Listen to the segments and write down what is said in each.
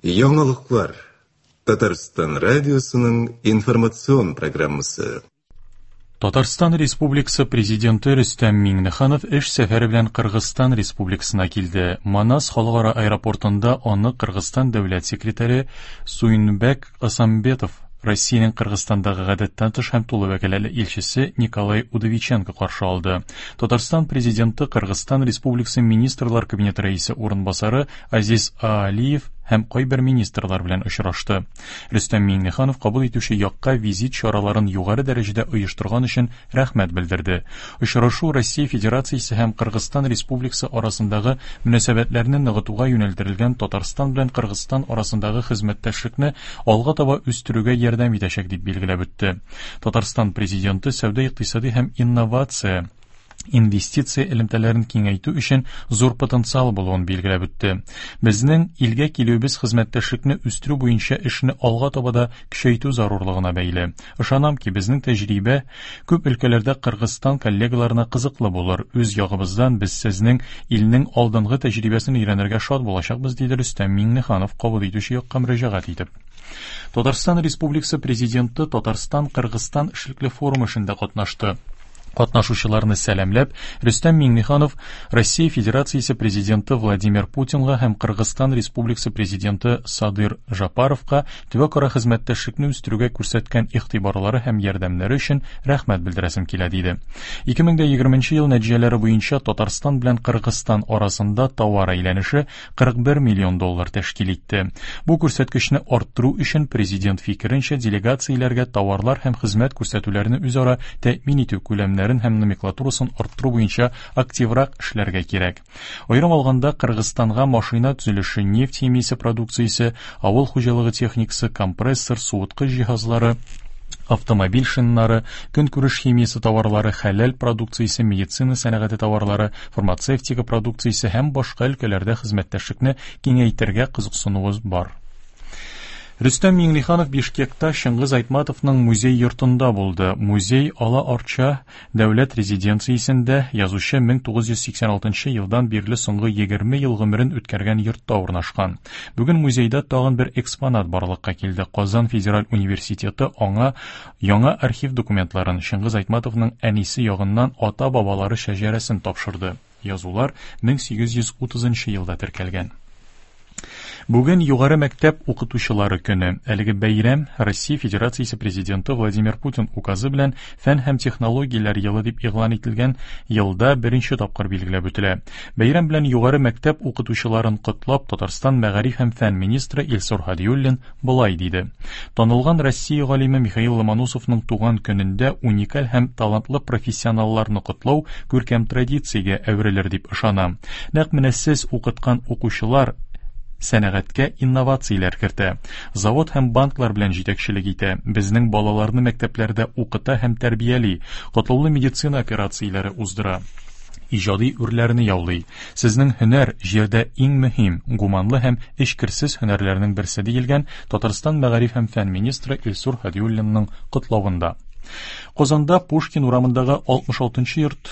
Яңалыклар. Татарстан радиосының информацион программасы. Татарстан Республикасы Президенты Рөстәм Миңнеханов эш сәфәре белән Кыргызстан Республикасына килде. Манас халыкара аэропортында аны Кыргызстан дәүләт секретаре Суйнбек Асамбетов, Россиянең Кыргызстандагы гадәттән тыш һәм тулы вәкаләтле илчесе Николай Удовиченко каршы алды. Татарстан Президенты Кыргызстан Республикасы Министрлар Кабинеты рәисе урынбасары Азиз Аалиев һәм кайбер министрлар белән очрашты. Рөстәм Миңнеханов кабул итүче якка визит чараларын югары дәрәҗәдә оештырган өчен рәхмәт белдерде. Очрашу Россия Федерациясе һәм Кыргызстан Республикасы арасындагы мөнәсәбәтләрне ныгытуга юнәлдерелгән Татарстан белән Кыргызстан арасындагы хезмәттәшлекне алга таба үстерүгә ярдәм итәчәк, дип билгеләп үтте. Татарстан Президенты сәүдә-икътисади һәм инновация инвестиция элемтәләрен киңәйтү өчен зур потенциал булуын билгеләп үтте. Безнең илгә килүебез хезмәттәшлекне үстерү буенча эшне алга таба да көчәйтү зарурлыгына бәйле. Ышанам ки, безнең тәҗрибә күп өлкәләрдә Кыргызстан коллегаларына кызыклы булыр. Үз ягыбыздан без сезнең илнең алдынгы тәҗрибәсен өйрәнергә шат булачакбыз, диде Рөстәм Миңнеханов кабул итүче якка мөрәҗәгать итеп. Татарстан Республикасы Президенты Татарстан-Кыргызстан эшлекле форумы эшендә катнашты. Катнашучыларны сәламләп, Рөстәм Миңнеханов Россия Федерациясе Президенты Владимир Путинга һәм Кыргызстан Республикасы Президенты Садыр Жапаровка төбәкара хезмәттәшлекне үстерүгә күрсәткән игътибарлары һәм ярдәмнәре өчен рәхмәт белдерәсем килә, диде. 2020 ел нәтиҗәләре буенча Татарстан белән Кыргызстан арасында товар әйләнеше 41 миллион доллар тәшкил итте. Бу күрсәткечне арттыру өчен президент фикеренчә делегацияләргә товарлар һәм хезмәт күрсәтүләрне үзара тәэмин итү күләмнәрен һәм номенклатурасын арттыру буенча активрак эшләргә кирәк. Аерым алганда, Кыргызстанга машина төзелеше, нефть химиясе продукциясе, авыл хуҗалыгы техникасы, компрессор, суыткыч җиһазлары, автомобиль шиннары, көнкүреш химиясе товарлары, хәләл продукциясе, медицина сәнәгате товарлары, фармацевтика продукциясе һәм башка өлкәләрдә хезмәттәшлекне киңәйтергә кызыксынуыбыз бар. Рөстәм Миңнеханов Бишкекта Чыңгыз Айтматовның музей йортында булды. Музей Ала Арча дәүләт резиденциясендә язучы 1986 елдан бирле соңгы 20 ел гомерен үткәргән йортта урнашкан. Бүген музейда тагын бер экспонат барлыкка килде. Казан федераль университеты аңа яңа архив документларын, Чыңгыз Айтматовның әнисе ягыннан ата-бабалары шәҗәрәсен тапшырды. Язулар 1830 елда теркәлгән. Бүген югары мәктәп укытучылары көне. Әлеге бәйрәм Россия Федерациясе Президенты Владимир Путин указы белән Фән һәм технологияләр елы дип игълан ителгән елда беренче тапкыр билгеләп үтелә. Бәйрәм белән югары мәктәп укытучыларын котлап, Татарстан мәгариф һәм фән министры Илсур Һадиуллин болай диде. Танылган Россия галиме Михаил Ломоносовның туган көнендә уникаль һәм талантлы профессионалларны котлау күркәм традициягә әверелер дип ышанам. Нәкъ менә сез укыткан укучылар сәнәгатькә инновацияләр кертә, завод һәм банклар белән җитәкчелек итә, безнең балаларны мәктәпләрдә укыта һәм тәрбияли, катлаулы медицина операцияләре уздыра, иҗади үрләрне яулый. Сезнең һөнәр, җирдә иң мөһим, гуманлы һәм эчкерсез һөнәрләрнең берсе, диелгән Татарстан мәгариф һәм фән министры Илсур Һадиуллинның котлавында. Казанда Пушкин урамындагы 66 нчы йорт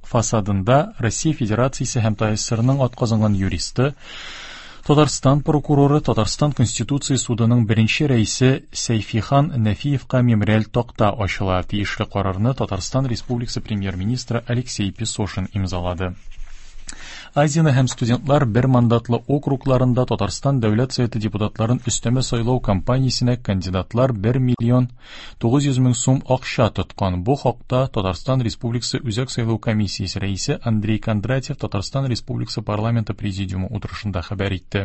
фасадында Россия Федерациясе һәм ТАССРның атказанган юристы, Татарстан прокуроры, Татарстан Конституция судының беренче рәисе Сәйфихан Нәфиевка мемориаль такта ачыла. Тиешле карарны Татарстан Республикасы премьер-министры Алексей Песошин имзалады. Азина һәм студентлар бер мандатлы округларында Татарстан Дәүләт Советы депутатларын өстәмә сайлау кампаниясенә кандидатлар 1 миллион 900 мең сум акча тоткан. Бу хакта Татарстан Республикасы Үзәк сайлау комиссиясе рәисе Андрей Кондратьев Татарстан Республикасы парламенты президиумы утырышында хәбәр итте.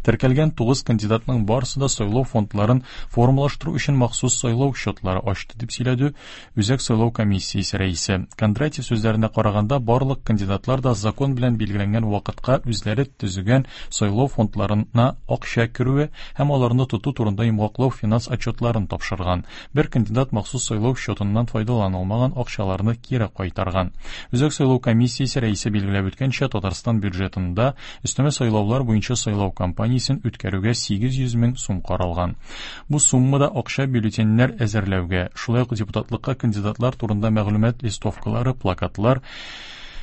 Теркәлгән 9 кандидатның барысы да сайлау фондларын формалаштыру өчен махсус сайлау счетлары ачты, дип сөйләде Үзәк сайлау комиссиясе рәисе. Кондратьев сүзләренә караганда, барлык кандидатлар да закон белән билгеләнгән вакытка үзләре төзегән сайлау фондларына акча керүе һәм аларны тоту турында йомгаклау финанс отчетларын тапшырган. Бер кандидат махсус сайлау счетыннан файдаланылмаган акчаларны кире кайтарган. Үзәк сайлау комиссиясе рәисе билгеләп үткәнчә, Татарстан бюджетында өстәмә сайлаулар буенча сайлау кампаниясен үткәрүгә 800 мең сум каралган. Бу суммада акча бюллетеньнәр әзерләүгә, шулай ук депутатлыкка кандидатлар турында мәгълүмат листовкалары, плакатлар,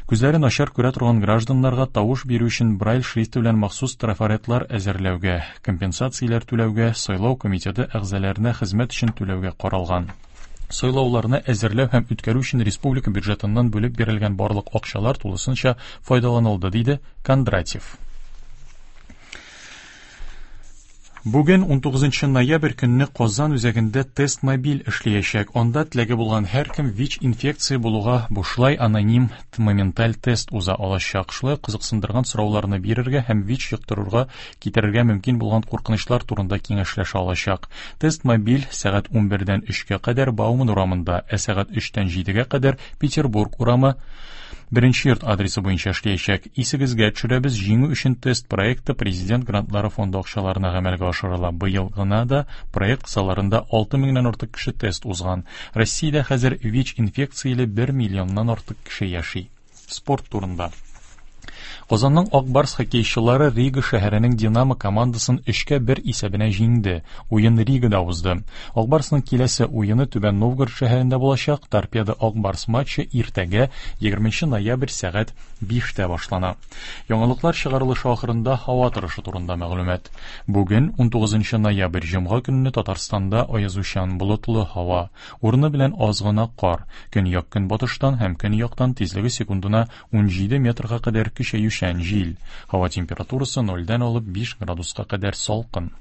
Күзләре начар күрә торган гражданнарга тавыш бирү өчен Брайль шрифты белән махсус трафаретлар әзерләүгә, компенсацияләр түләүгә, сайлау комитеты әгъзаларына хезмәт өчен түләүгә каралган. Сайлауларны әзерләү һәм үткәрү өчен республика бюджетыннан бүлеп бирелгән барлык акчалар тулысынча файдаланылды, диде Кондратьев. Бүген 19 ноябрь көнне Казан үзәгендә тест мобиль эшләячәк. Анда теләге булган һәркем ВИЧ инфекция булуга бушлай аноним моменталь тест уза алачак. Шулай кызыксындырган сорауларны бирергә һәм ВИЧ йоктыруга китерергә мөмкин булган куркынычлар турында киңәшләшә алачак. Тест мобиль сәгать 11-дән 3-кә кадәр Бауман урамында, ә сәгать 3-тән 7-гә кадәр Петербург урамы Беренче йорт адресы буенча эшләячәк. Исегезгә төшерәбез, җиңү өчен тест проекты Президент грантлары фонды акчаларына гамәлгә ашырыла. Быел гына да проект кысаларында 6 меңнән артык кеше тест узган. Россиядә хәзер ВИЧ инфекцияле 1 миллионнан артык кеше яши. Спорт турында. Казанның Ак Барс хоккейчылары Рига шәһәренең Динамо командасын 3-1 исәбенә җиңде. Уен Ригада узды. Ак Барсның киләсе уены Түбән Новгород шәһәрендә булачак. Торпедо Ак Барс матчы иртәгә 20 ноябрь сәгать 5-тә башлана. Яңалыклар чыгарылышы ахырында һава торышы турында мәгълүмат. Бүген 19 ноябрь җомга көнне Татарстанда аязучан болытлы һава. Урыны белән аз гына кар. Көньяк-көнбатыштан һәм көньяктан тизлеге секундына 17 метрга кадәр көчәючән җил. Һава температурасы 0-дән алып 5 градуска кадәр салкын.